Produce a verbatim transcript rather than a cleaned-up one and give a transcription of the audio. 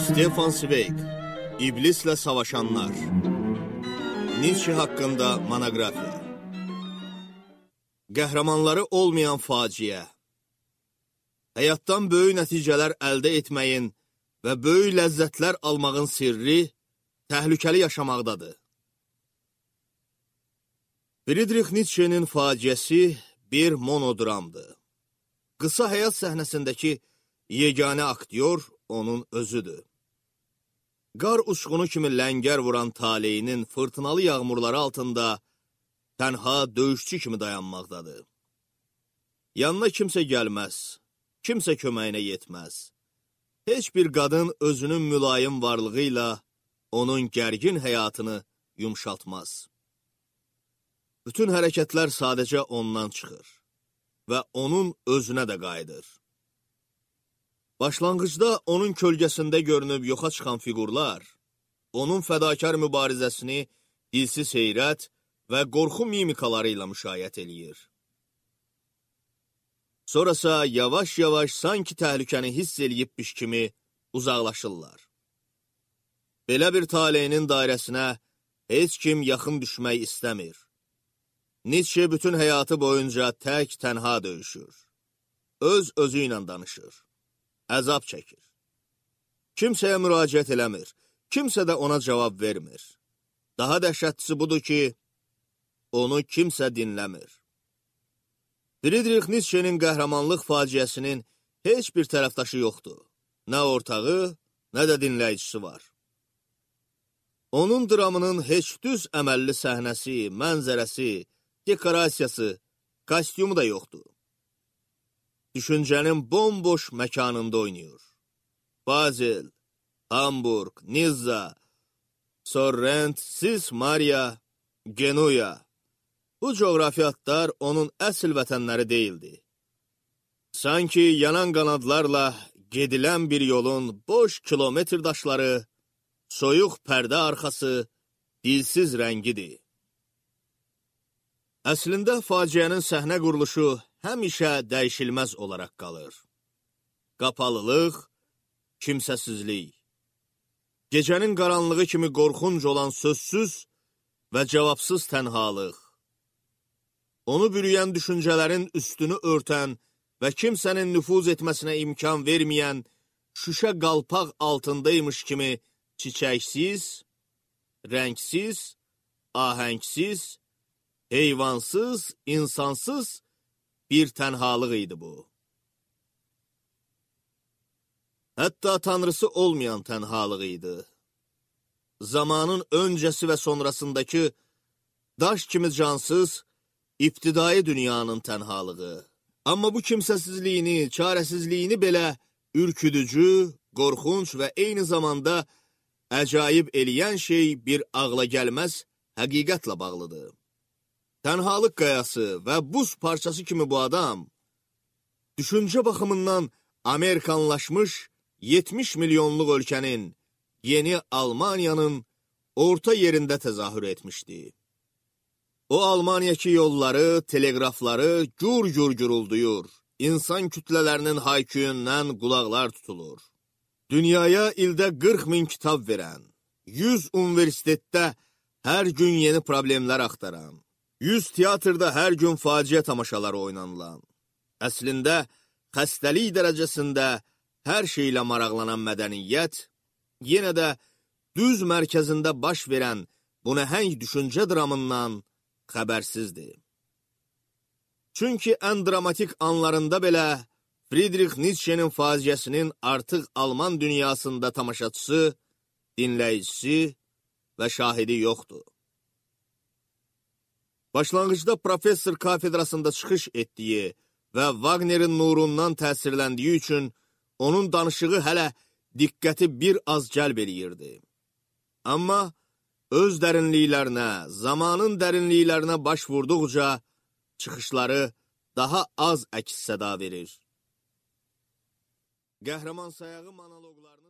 Stefan Zweig, İblislə Savaşanlar. Nietzsche haqqında monografiya. Qəhrəmanları olmayan faciə. Həyatdan böyük nəticələr əldə etməyin və böyük ləzzətlər almağın sirri təhlükəli yaşamaqdadır. Friedrich Nietzsche'nin faciəsi bir monodramdır. Qısa həyat səhnəsindəki yeganə aktyor onun özüdür. Qar uçqunu kimi ləngər vuran taleyinin fırtınalı yağmurları altında tənha döyüşçü kimi dayanmaqdadır. Yanına kimsə gəlməz, kimsə köməyinə yetməz. Heç bir qadın özünün mülayim varlığı ilə onun gərgin həyatını yumşaltmaz. Bütün hərəkətlər sadəcə ondan çıxır və onun özünə də qayıdır. Başlanğıcda onun kölgəsində görünüb yoxa çıxan fiqurlar, onun fədakar mübarizəsini dilsiz heyrət və qorxu mimikaları ilə müşayiət eləyir. Sonrasa yavaş-yavaş sanki təhlükəni hiss eləyibmiş kimi uzaqlaşırlar. Belə bir taleyinin dairəsinə heç kim yaxın düşmək istəmir. Nietzsche bütün həyatı boyunca tək tənha döyüşür. Öz özü ilə danışır. Əzab çəkir. Kimsəyə müraciət eləmir, kimsə də ona cavab vermir. Daha dəhşətlisi budur ki, onu kimsə dinləmir. Friedrich Nietzsche'nin qəhrəmanlıq faciəsinin heç bir tərəfdaşı yoxdur. Nə ortağı, nə də dinləyicisi var. Onun dramının heç düz əməlli səhnəsi, mənzərəsi, dekorasiyası, kostyumu da yoxdur. Düşüncənin bomboş məkanında oynayır. Basel, Hamburg, Nizza, Sorrent, Sis Maria, Genuya. Bu coğrafiyatlar onun əsl vətənləri deyildi. Sanki yanan qanadlarla gedilən bir yolun boş kilometr daşları, soyuq pərdə arxası, dilsiz rəngidir. Əslində faciənin səhnə quruluşu həmişə dəyişilməz olaraq qalır. Qapalılıq, kimsəsizlik. Gecənin qaranlığı kimi qorxunc olan sözsüz və cavabsız tənhalıq. Onu bürüyən düşüncələrin üstünü örtən və kimsənin nüfuz etməsinə imkan verməyən şüşə qalpaq altındaymış kimi çiçəksiz, rəngsiz, ahəngsiz, heyvansız, insansız bir tənhalıq idi bu. Hətta tanrısı olmayan tənhalıq idi. Zamanın öncəsi və sonrasındakı daş kimi cansız, İbtidai dünyanın tənhalığı. Amma bu kimsəsizliyini, çarəsizliyini belə ürküdücü, qorxunç və eyni zamanda əcaib eləyən şey bir ağla gəlməz həqiqətlə bağlıdır. Tənhalıq qayası və buz parçası kimi bu adam, düşüncə baxımından Amerikanlaşmış yetmiş milyonluq ölkənin, yeni Almaniyanın orta yerində təzahür etmişdi. O Almaniyaki yolları, teleqrafları gür-gür gürüldüyür. İnsan kütlələrinin hayküyündən qulaqlar tutulur. Dünyaya ildə qırx min kitab verən, yüz universitetdə hər gün yeni problemlər axtaran, yüz teatrda hər gün faciə tamaşaları oynanılan, əslində xəstəlik dərəcəsində hər şeylə maraqlanan mədəniyyət, yenə də düz mərkəzində baş verən bu nəhəng düşüncə dramından xəbərsizdir. Çünki ən dramatik anlarında belə Friedrich Nietzsche'nin faciəsinin artıq Alman dünyasında tamaşaçısı, dinləyicisi və şahidi yoxdur. Başlanğıcda professor kafedrasında çıxış etdiyi və Wagner'in nurundan təsirləndiyi üçün onun danışığı hələ diqqəti bir az cəlb eləyirdi. Amma öz dərinliklərinə, zamanın dərinliklərinə baş vurduqca çıxışları daha az əks-səda verir. Qəhrəman sayağı monoloqlarını